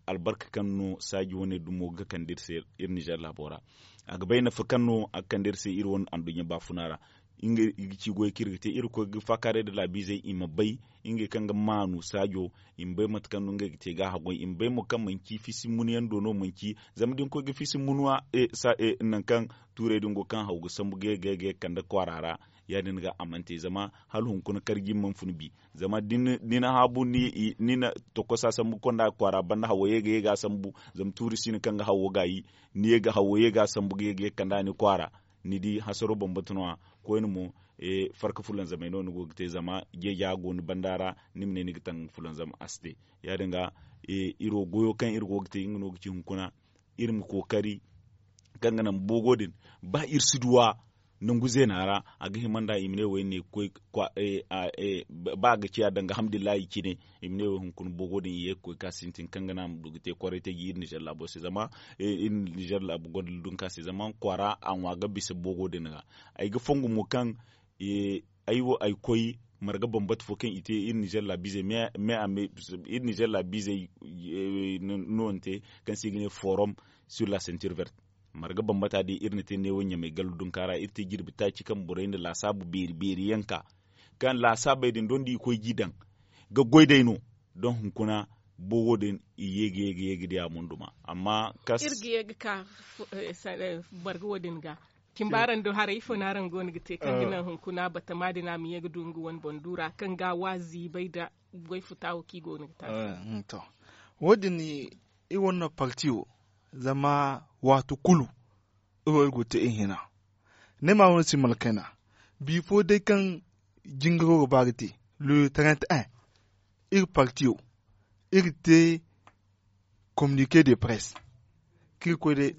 albarka kaŋ no saaji wane dumo ga kande iri se iri nizer laabo ra. A ga bay nafa kaŋ no a ga kande iri se iri wane anduɲɲa baafuna ra. Nga i ga ci goy kaŋ iri ga te iri ga koy ga faakaaray nda laabiizey i ma bay ngey kaŋ ga maanu saajo i ma bay mate kaŋ no ngey ga te ga a haggoy i ma bay mo kaŋ manci fisi munuyaŋ do no manci zama da ni koy ga fisi munuwa nangu kaŋ tuurey din go kaŋ haw ga sambu ga ye ga ye ga ye ga kande kwaara ra. Ya- din ga a mana te zama hala hunkuna karji mana fun bi zama da ni na haabu ni na tokosa sambu ga konda ga kwaara banda hawo ye ga ye ga a sambu zama tuuri si no kaŋ ga hawo gaayi ni ye ga hawo ye ga a sambu ga ye ga ye ga kanda ni kwaara. Ni di hasaro bambata no- ya koyne mo farka fulanzamey no ni go ga te zama jeeja go ni banda ra ni ma ne ni ga taŋ fulanzam a si te. Ya- din ga iri wo goyo kaŋ iri go ga te nga no ga ci hunkuna iri ma kookari kaŋ ga naŋ boogo din ba iri si duw'a nangu zeena ra a ga hima nd'a i ma ne wo iri ne ga koy ba a ga ciya danga hamdulillahi cine i ma ne wo hunkuna boogo din i ye ga koy ga sintin kaŋ ga naŋ a ma du ga te kwaray taji iri nizer laabo se zama iri nizer laabu gonda dunka se zama kwaara a ŋwa ga bisa boogo din ga. Ay ga fongu mo kaŋ ay wo ay koy marga bambata fo kaŋ i te iri nizer laabiizey me a me iri nizer laabiizey no ni te kaŋ se i ga ne forom sur la sentir vert. Marga bambata day iri na te neewo ɲamey gallu dunka ra iri te jirbi taaci kaŋ borey na laasaabu beeri beeri yaŋ ka kaŋ laasaabey din doŋ da i koy g'i daŋ ga goy day no. Doŋ hunkuna boogo din i ye ga ye ga ye ga diya mo nduma amma kas iri ga ye ga ka marga wo- din ga. Cimba araŋ do haray ifo no araŋ go no ga te kaŋ ga naŋ hunkuna batama din a ma ye ga du nga wane boŋ du ra kaŋ ga a waazi bay nda goy futa wo kaŋ i go no ga te a se. To wo- din iri wane no parti wo zama waati kulu iri wo iri go te iri hina. Ni ma wane si malkayna bifo day kaŋ jingaro ga ba ga te le trente un iri parti wo iri te communique de presse kaŋ iri koy day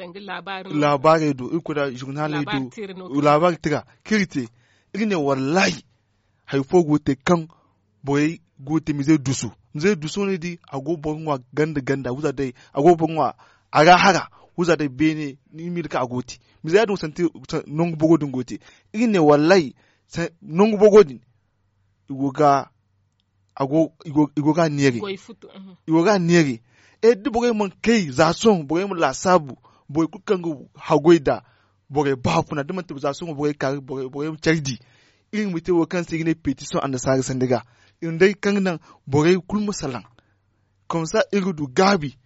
laabaarey do iri koy da journaley do laabaari tira kaŋ iri te iri ne wallahi hari fo go ga te kaŋ borey go ga te mize dusu mize dusu no ni di a go ga boro ŋwa ganda ganda wiza day a go ga boro ŋwa a ra hara wiza day beene ni miila kaŋ a go ga te mize ya- din wo santi nangu bogo din go ga te iri ne wallahi nangu bogo din i go ga a go i go ga a neere i go ga a neere da borey mana kay za sohõ borey ma laasaabu borey kulu kaŋ ga haggoy nd'a borey baafuna da manti za sohõ borey kaari borey ma care di iri ma te wo kaŋ se i ga ne petition annasaara sanda ga iri day kaŋ ga naŋ borey kulu ma salaŋ. Komsa iri ga du gaabi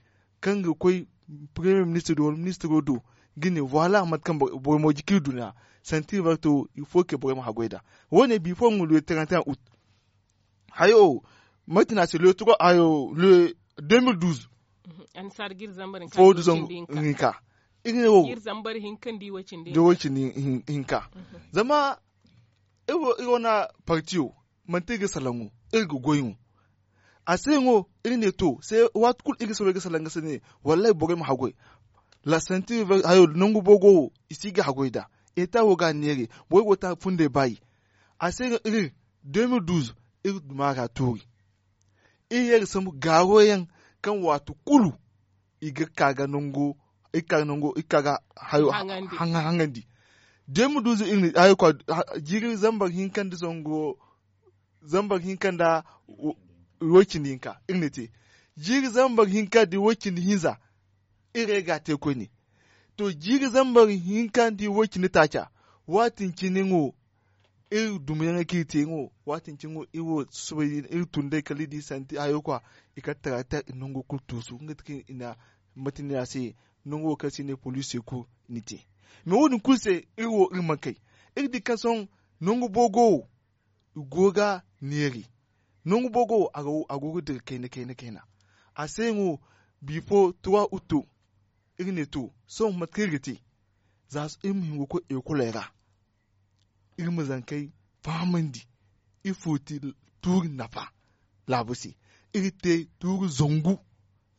kaŋ ga koy premier ministre do wala ministro do ga ne voilà mate kaŋ borey mooji kaŋ iri du nd'a santi iri warto il faut que borey ma haggoy nd'a. Wo- ne bifo nga le trente un août hayo mate no a se le trois hayo le deux mille douze fo du zangu hinka iri ne wo da way cindi hinka zama iri wo na parti wo manti iri ga salaŋ wo iri ga goy wo a se yaŋ wo iri ne to se waati kulu iri ga salaŋ ga se ne wallahi borey ma haggoy la santi hayo nangu boogo wo i si ga haggoy nd'a eta wo ga a neere borey go ga te a ga fundey baayi a se yaŋ iri deux mille douze iri duma ga tuuri iri ye ga sambu gaaro yaŋ kaŋ waati kulu i ga ka ga nango i ga ka ga nango i ga ka ga hayo haŋandi deux mille douze iri na hayo kwa jiiri zambar hinka nda zango zambar hinka nda way cindi hinka iri na te. Jiiri zambar hinka nda way cindi hinza iri ga a te koyne. To jiiri zambar hinka nda way cindi taaca, waatin cine iri dumiyaŋey kaŋ iri te iri wo waatin cine iri wo susubay iri tun day kala iri di santi hayo kwa. I kala taraata iri nango kulu tuusu nga ti kaŋ i na mate no ya se nangu wo kaŋ se i ne poliisi kulu ni te. Mais wo- din kulu se iri wo iri mana kay. Iri di kaŋ sohõ nangu boogo wo i go ga neeri. Nangu boogo wo a go ga dira kayna kayna kayna. A se yaŋ wo bifo trois août iri ne to sohõ mate kaŋ iri ga te za iri ma hin ga koy ekoley ra. Iri ma zankey fahamandi ifo ti tuuri nafa laabu se. Iri te tuuri zangu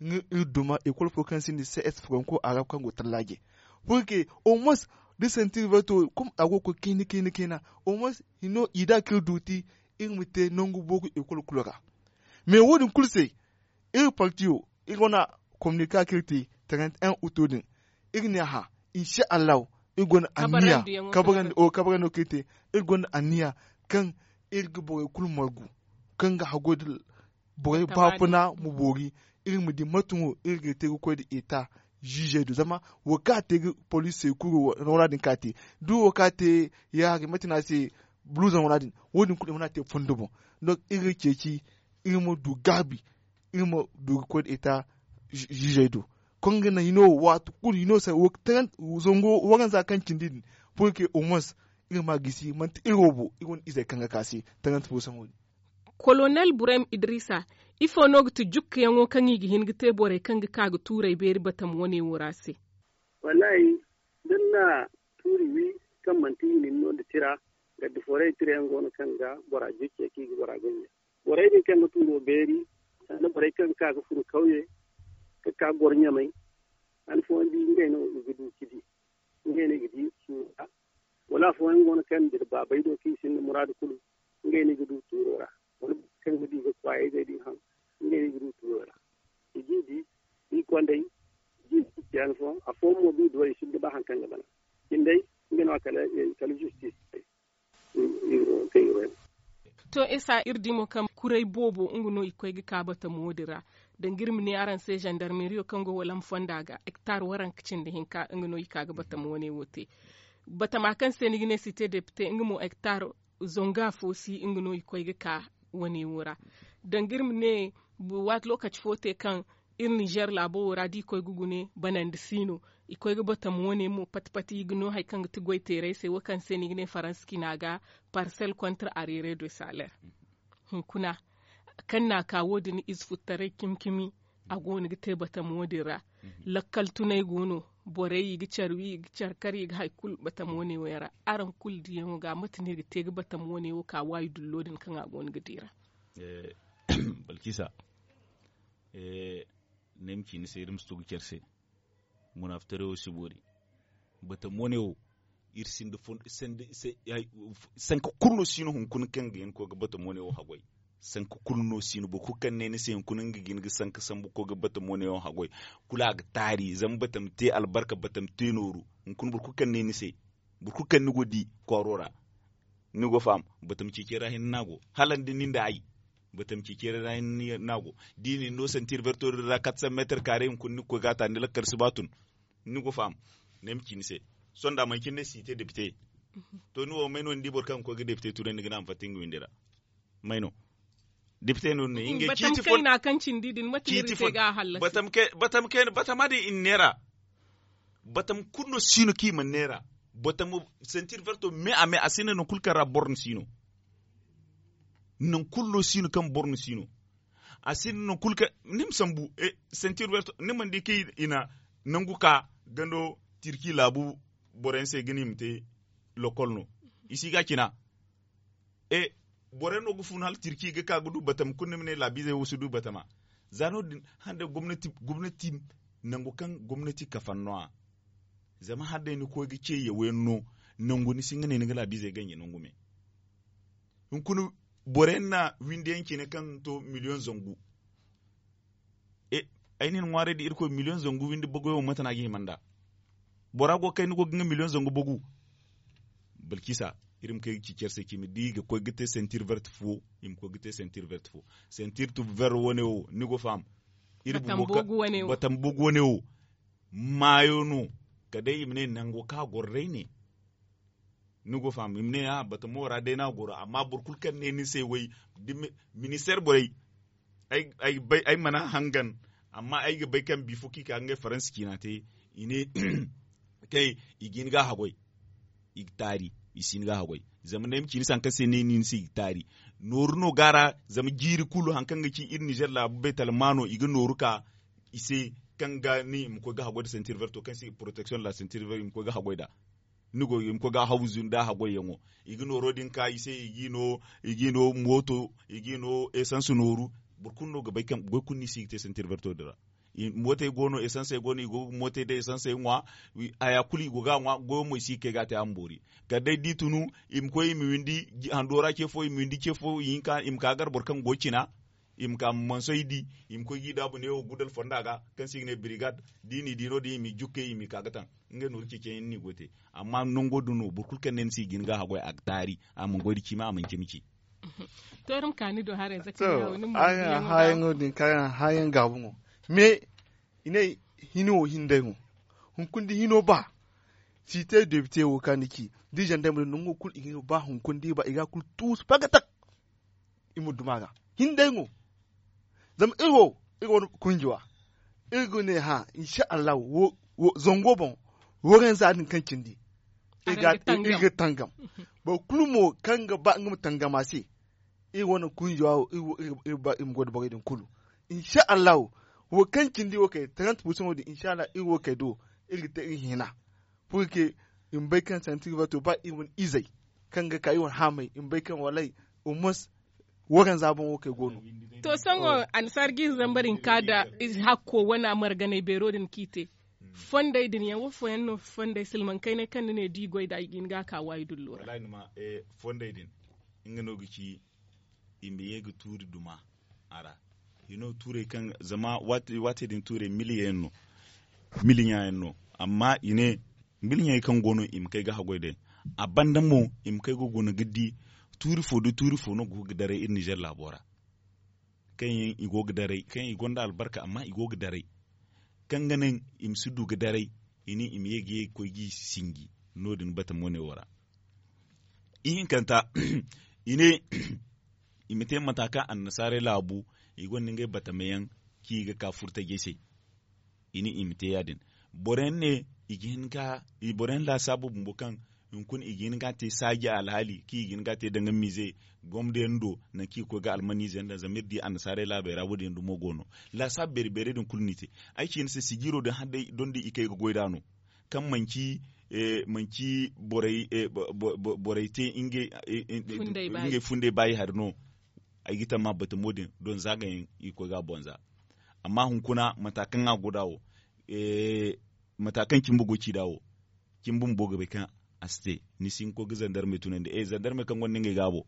nga iri duma ekol fo kaŋ se ni cs franco arab kaŋ go tallaaje. Pour que au moins da santi iri verto comme a go ga koy kayna kayna kayna au moins hino i da kaŋ iri duuti iri ma te nangu boogu ekol kulu ra. Mais wo- din kulu se iri parti wo iri wane kominika kaŋ iri te trente un août din iri ne a hã. Insa allahu iri gonda anniya kabarandi wo kaŋ iri te iri gonda anniya kaŋ iri ga borey kulu margu kaŋ ga haggoy da borey baafuna ma boori. Iri ma di mate no iri ga te ga koy nda eta ziizey do zama wo kaŋ a te ga poliisey kulu ra noora din kaŋ a te da wo kaŋ a te ya hari mate no a se buluuzaŋ ra din wo- din kulu i mana te fondo boŋ. Donc iri ga ceeci iri ma du gaabi iri ma du ga koy nda eta ziizey do. Kaŋ ga naŋ hino waati kulu hino se zango waranza kaŋ cindi din pour que au moins iri ma a gisi manti iri wo bo iri wane izey kaŋ ga ka se. Tarante fo saŋo din. Kolonel burem idrisa, ifo no ga ti jukkayaŋo kaŋ i ga hin ga te borey kaŋ ga ka ga tuurey beeri batama wane wo ra se? Wallaahi, da ni na tuuri wi kaŋ manti i na ni no nda tira, gaddi forey tirayaŋ go no kaŋ ga bora jocce kaŋ i ga bora ganja. Borey din kaŋ ga tuuro beeri sanda borey kaŋ ga ka ga furo kawye, ga ka goro ɲamay. Han fooyaŋ di ngey no i ga du ga di. Ngey no i ga di suuru ra. Wala afooyaŋ go no kaŋ dira baabey do kaŋ i sinda muraadu kulu, ngey no i ga du tuuro ra. Wala kaŋ ga di ga kwaayey day din haŋ, ngey no i ga du tuuro ra. I ga i di, i kondey, i ga i di ciyaani fooyaŋ afooyaŋ mo ga i duw'ey i sinda ba hari kaŋ ga bana. Cindey, nga no a kala zistis. To esa iri di mo kaŋ kuray boobo nga no i koy ga ka batamo din ra. Danga iri ma ne araŋ se zandarmeriyo kaŋ go walam fonda ga hektar waranka cindi hinka nga no i ka ga batamo wane wo te. Batama kaŋ se ni ga ne site depite nga mo hektar zonga fo si nga no i koy ga ka wane wo ra. Danga iri ma ne waati lokaci fo te kaŋ iri nizer laabo wo ra da i koy ga gune banandi si no. I koy ga batama wane mo pati pati i ga no hari kaŋ ga ti goy teeray se wo kaŋ se no i ga ne faransa cina ga parsel kontra arere de saler. Hunkuna kaŋ no a ka wo- din ize futtaray cimi cimi a go no ga te batama wo- din ra. Lakkal tunay go no borey i ga care wi i ga care kar i ga hari kulu batama wane wo yaŋ ra. Araŋ kulu diyaŋo ga mate no iri ga te ga batama wane wo ka waayi dullo din kaŋ a go no ga di ra? Balkisa, ni ay ma ci ni se iri ma si to ga care se. Munaafitaray wo si boori. Batamo ne wo iri sinda sanka kulu no si no hunkuna kaŋ ga hin ga koy ga batamo ne wo haggoy. Sanka kulu no si no boro kulu kaŋ ne ni se hunkuna nga ga hin ga sanka sambu ga koy ga batamo ne wo haggoy. Kulu a ga taari zama batam te albarka batam te nooru. Hunkuna boro kulu kaŋ ne ni se boro kulu kaŋ ni go ga di kwaaro ra. Ni go faham? Batam ceecey ra hinne no a go hala ni nda ay. Batam ceecey ra hinne no a go da i na ni no santir verto din ra katsan meetar kaare hunkuna ni ga koy ga a ta ni lakkal si ba tun. Ni go faham? Ne ay ma ci ni se. Sohõ da manci ni ne si te depite. To ni wo may no ni di boro kaŋ ga koy ga depite tunandi ga ne a ma fatta nga windi ra? May no? Depite no ni ne ngey ciiti fo. Batam kayna kaŋ cindi din mate no iri te ga a hallasi? Batam kayna batama din i na neera. Batam kulu no si no kaŋ i mana neera. Batam santir verto me a me a sinda nangu kulu kaŋ ra boro ni si no. Nangu kulu no si no kaŋ boro ni si no. A sinda nangu kulu kaŋ ni ma sambu santir verto ni mana di kaŋ i na nangu ka gando tirki laabu boro yaŋ se ga ne i ma te lokol no. I si ga cina. E boro yaŋ no ga fun hala tirki ga ka ga du batama kulu ni ma ne laabiizey wo si du batama. Za no- din hande gomnati nangu kaŋ gomnati kafan no- ya. Zama hala day ni koy ga ce yaw yaŋ no nangu ni si nga ne ni ga laabiizey ganje nangu me. Hunkuna boro yaŋ na windi yaŋ cine kaŋ to miliyoŋ zangu. Ay na ni ŋwaaray da irkoy miliyoŋ zangu windi bagoy wo mate no a ga hima nd'a? Bora go ga kay ni go ga nga miliyoŋ zangu bagu. Balkisa Iri ma kay ga ci care se ci ma di i ga koy ga te sentir vert fo. I ma koy ga te sentir vert fo. Sentir tu vert wane wo ni go faham. Iri bumbo ka batambogu wane wo. Maayo no. Kala day i ma ne nango kaŋ a goro day ne. Ni go faham i ma ne a batamo ra day no a goro amma boro kulu kaŋ ne ni se way. Ministeer borey ay mana hangan. Amma ay ga bay kaŋ bifo kaŋ i ka ngey faransa ciina te i ne kay i ga hin ga a haggoy. I ga taari i si hin ga a haggoy. Zama ne ay ma ci ni se hari kaŋ se ne ni ni se i ga taari. Nooru no ga a ra zama jiiri kulu hari kaŋ ga ci iri nizer laabu baytalmaano i ga nooru ka i se kaŋ ga ni i ma koy ga haggoy nda sentir verto kaŋ se poroteksiyoŋ nda sentir verto i ma koy ga haggoy nd'a. Ni go i ma koy ga a haw zunda haggoyyaŋo. I ga nooro din ka i se i g'i no mooto i g'i no esans nooru. Boro kulu no ga bay kaŋ goy kulu no i si ga te sentir verto din ra. Mootey go no esansey go no i go ga mootey da esansey ŋwa. Haya kulu i go ga a ŋwa goyo mo i si ga kay ga a te a ma boori. Kala day da i tunu i ma koy i ma windi hando ra ce fo i ma windi ce fo i hinka i ma ka gar boro kaŋ go cina. I ma ka mansoy di i ma koy ga i daabu neewo gudal fonda ga kaŋ se i ga ne birigad. Da i n'i di no- din i m'i jukkey i m'i ka ga taŋ. Ngey nooru ceeciyaŋ yaŋ no i go ga te. Amma nango din no boro kulu kaŋ ne ni se i ga hin ga a haggoy a ga taari. A mana goy nda cimi a mana cimi ci. To iri ma ka ni do haray za kaŋ yawo ni mo haayaŋo din kaŋ haayaŋ gaabu mo. Mais i ne hino wo hinday mo. Hunkuna da hino ba si te debite wo kaŋ ni ci da i zandarma din nango kulu i ga hino ba hunkuna da i ba i ga a kulu tuusu pagatak. I ma duma ga hinday mo. Zama iri wo iri wane kunjiwa iri ga ne hã insa allahu. Zango boŋ waranza din kaŋ cindi iri ga tangam. Boro kulu mo kaŋ ga ba nga ma tangam a se. Iri wane kunjiwa wo iri ba iri ma goy nda borey din kulu. Insa allahu wo kaŋ cindi wo kay trente pourcent wo din insa allahu iri wo kay do iri ga te iri hina. Purke i ma bay kaŋ santi ga ba to ba iri wane izey kaŋ ga ka iri wane haamey i ma bay kaŋ walay. Au moins waranza boŋ wo kay go no. To sohõ annasaara ga iri zambar hinka nda hakko wane marganay beero din kaŋ i te. Fondey din yaŋ wo fooyaŋ no fondey silmaŋ kaynay kaŋ ni ne da i goy nd'a i ga hin ga a ka waayi dullo ra. Fondey din nga no ga ci i ma ye ga tuuri duma a ra. Hino tuurey kaŋ zama waati din tuurey miliyaŋ yaŋ no. Miliyaŋ yaŋ no. Amma i ne miliyaŋey kaŋ go no i ma kay ga haggoy day. A banda mo i ma kay ga guna ga di tuuri fo da tuuri fo no go ga daray iri nizer laabo ra. Kaŋ yaŋ i go ga daray kaŋ yaŋ i gonda albarka amma i go ga daray. Kaŋ ga naŋ i ma si du ga daray i ne i ma ye ga ye ga koy ga i sinji. No- din batamo ne wo ra. Ihinkanta i ne i ma te mata kaŋ annasaarey laabu i gonda ngey batamayaŋ kaŋ i ga ka furtajey se. I ne i ma te ya- din boro yaŋ ne i ga hin ga boro yaŋ laasaabu bumbo kaŋ hunkuna i ga hin ga a te saaji alhaali kaŋ i ga hin ga a te danga miize gomdo yaŋ do. Nangu kaŋ i ga koy ga almaniize yaŋ daŋ zama iri di annasaarey laabey ra wo- din yaŋ dumo go no. Laasaabu beeri beerey din kulu no i te. Ay ci ni se sijiiro din hala day doŋ da i kay ga goy nd'a no. Kaŋ manci borey te ngey fundey baayi hari no. Ay ga tamma batamo din doŋ za ga yaŋ i ga koy ga a boŋ za. Amma hunkuna mata kaŋ a go nd'a wo mata kaŋ cimba go ci nd'a wo. Cimba bumbo ga bay kaŋ a si te ni si hin ga koy ga zandarmey tunandi zandarmey kaŋ gonda ngey gaabo.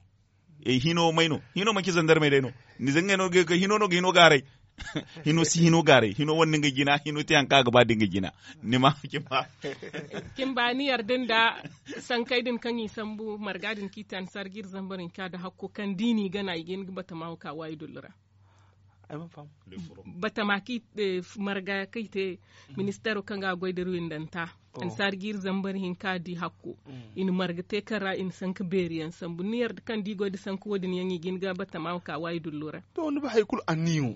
Hino may no hino manci zandarmey day no. Ni zangey no ga hin ga hino no ga hino gaaray. Hino si hino gaaray hino wane nga jina hino te hari kaŋ a ga ba da nga jina. Ni ma cimba. Cimba ni yarda nda sankey din kaŋ i sambu marga din kaŋ i te annasaara ga iri zambar hinka nda hakko kaŋ da i n'i gana i ga hin ga batama wo ka waayi dullu ra. Batama kaŋ i te marga kaŋ i te ministeero kaŋ ga a goy da iri windanta. Annasaara ga iri zambar hinka di hakko. I na marga te kaŋ ra i na sanka beeri yaŋ sambu ni yarda kaŋ da i goy nda sanka wo- din yaŋ i ga hin ga batama wo ka waayi dullu ra. To ni bay hari kulu anniya wo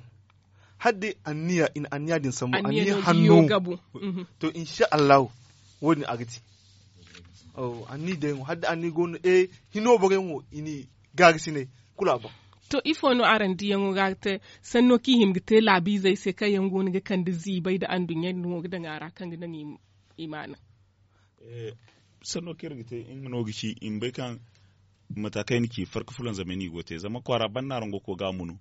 hala day anniya i na anniya din sambu anniya hanno. To insa allahu wo- din a ga te. Anniya day mo hala day anniya go no hino borey mo i n'i gaarisinay. Kulu a boŋ. To ifo no araŋ diyaŋo ga te sanno kaŋ i hima ga te laabiizey se kaŋ yaŋ go no ga kande ziibay nda anduɲɲa din wo ga daŋ a ra kaŋ ga naŋ i maana? Sanno kaŋ iri ga te nga no ga ci i ma bay kaŋ mata kaŋ ay na ci farka fulaŋ zamey no i go ga te zama kwaara banda no araŋ go ga koy ga a munu.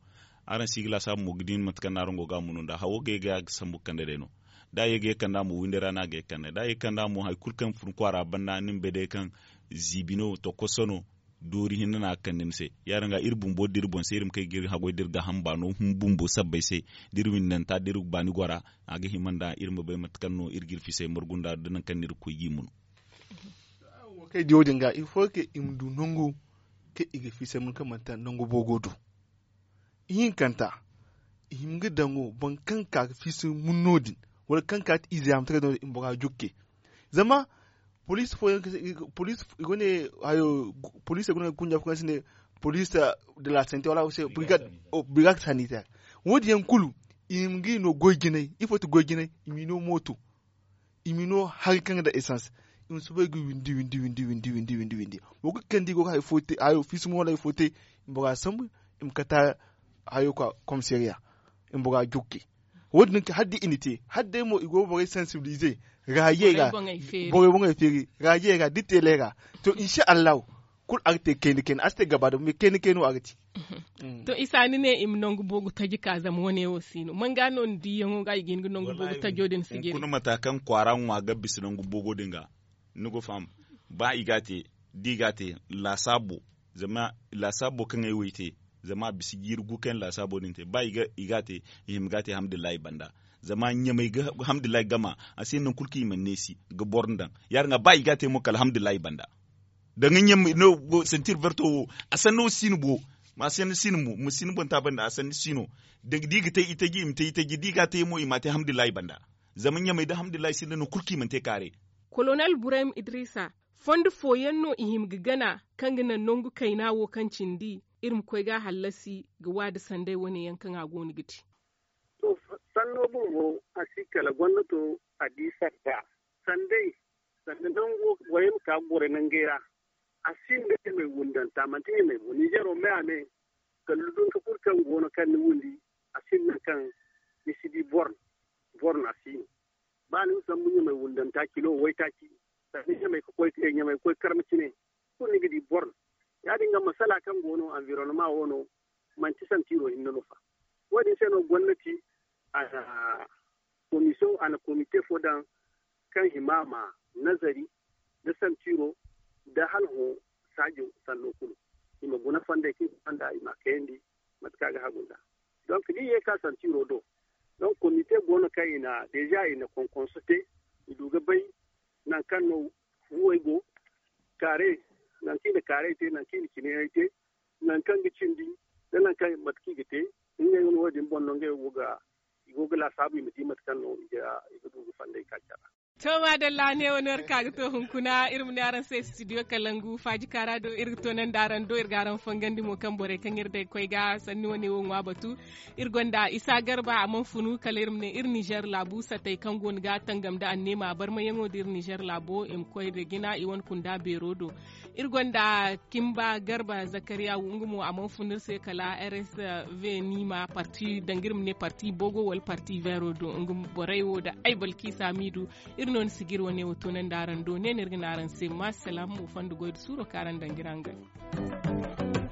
Araŋ si ga laasaabu mo ga di mate kaŋ no araŋ go ga a munu nda hawo ga ye ga sambu ga kande day no. Da a ye ga ye ga kande a mo windey ra no a ga ye ga kande da a ye ga kande a mo hari kulu kaŋ fun kwaara banda ni ma bay day kaŋ ziibi no tokoso no. Doori hinne no a ga kande ni se. Ya- din ga iri bumbo da iri boŋ se iri ma kay ga iri haggoy da iri gaaham baano bumbo sabbay se da iri windanta da iri baani gora. A ga hima nda iri ma bay mate kaŋ no iri ga iri fisay margu nda da nangu kaŋ no iri ga koy ga i munu. Kaŋ i di wo- din ga il faut que i ma du nangu kaŋ i ga fiisay mun kaŋ manti nangu boogo do. Ihinkanta, i hima ga daŋo boro kaŋ ga ka ga fiisa munno din, wala kaŋ ga ka ga ize yaamataray no din i ma bora jukke. Zama poliisi fooyaŋ poliisi i go ne hayo poliisey go no ga kunja fo kaŋ se ne poliisi de la sante wala se birigad sanitaire. Wo- din yaŋ kulu i hima ga i no goy jinay ifo ti goy jinay? I m'i no mooto, i m'i no hari kaŋ ga daŋ esans, i ma soobay ga windi windi windi windi windi windi windi. Boro kulu kaŋ da i go ga hayo fiisa mo wala hayo fo te, i ma bora sambu, i ma kata hayo ka komisariya, i ma bora jukke. Wo- din no ga ci hala da i na te hala day mo i go ga borey sansibilize, raayey ra, borey boŋey feeri raayey ra da teeley ra. To insa allahu, kulu a ga te kayna kayna a si te gaba damo me kayna kayna no a ga te. To isa ni ne i ma nangu boogu taji ka zama wane wo si no man ga no ni diyaŋo ga i ga hin ga nangu boogu tajo din si jiri. Hunkuna mata kaŋ kwaara ŋwa ga bisa nangu boogo din ga, ni ga faham. Ba i ga a te, da i ga a te, laasaabo, zama laasaabo kaŋ ay wo ay te, zama a bisa jiiri gu kaŋ laasaabo din te ba i ga a te, i hima ga a te alhamdulillahi banda. Zama ɲamay ga alhamdulillahi gama, a si hin nangu kulu kaŋ i mana neesi ga boro ni daŋ. Ya- din ga ba i ga a te mo kala alhamdulillahi banda. Danga ɲamay no, santir verto wo, a sanno si no bo, a sanno si no mo ma si no boŋ taabandi a sanno si no. Da i ga te itaji i ma te itaji da i ga a te mo i m'a te alhamdulillahi banda. Zama ɲamay da alhamdulillahi sinda nangu kulu kaŋ i mana te kaare. Kolonel burayma idrisa, fondo fooyaŋ no i hima ga gana kaŋ ga naŋ nangu kayna wo kaŋ cindi iri ma koy ga a hallasi ga waadi sanday wane yaŋ kaŋ a go no ga te. To, sanno bumbo a si kala gomnato a di sarta sanday, sanda nango borey ma ka ga gorey nangey ra. A sinda ɲamay wundanta manti ɲamay bo ninzeero me a me, kala dudunka kulu kaŋ go no kaŋ ni wundi, a sinda nangu kaŋ ni si di boro no a si no. Ba ni ma sambu ɲamay wundanta kilo waytaaci, sanda ɲamay ga koy ɲamay ga koy karma cine, kulu ni ga di boro no. Ya- din ga masala kaŋ go no anvironoma wo no, manti santiiro hinne no fa. Wo- din se no gomnati a na komisyon a na komite fo daŋ kaŋ hima ma nazari nda santiiro nda hala hõ saajo sanno kulu, i ma guna fonday kaŋ i ga fonda i ma a kayandi mate kaŋ a ga hagu nd'a. Donk da i ye ka santiiro do, donk komite go no kaŋ i na deeza i na konkonso te, i du ga bay nangu kaŋ no fuwey go, kaarey, nangu kaŋ i na kaarey te nangu kaŋ i na cineyaŋey te, nangu kaŋ ga cindi nda nangu kaŋ mate kaŋ i ga te. Ngey wane wo- din boŋ no ngey wo go ga i go ga laasaabu i ma di mate kaŋ no i ga du ga fandey ka care ra. To maadalla ne wane war ka ga to hunkuna iri ma ne araŋ se studio kalangu faaji kaara do iri ga toonandi araŋ do iri ga araŋ fangandi mo kaŋ borey kaŋ iri day koy ga sanni wane wo ŋwa batu. Iri gonda isa garba a mana funu kala iri ma ne iri nizer laabu satey kaŋ go no ga tangam nda anneema barmayaŋo da iri nizer laabo i ma koy nda jina i wane kunda beero do. Iri gonda kimba garba zakariya nga mo a mana funu iri se kala rsv niima parti danga iri ma ne parti bogo wala parti vero do nga borey wo nda ay balkiisa miidu. Iri no ni si ga iri wane wo toonandi araŋ do ne no iri ga ne araŋ se ma salaam wo fondo goy nda suuro kaŋ araŋ danga iri haŋ ga.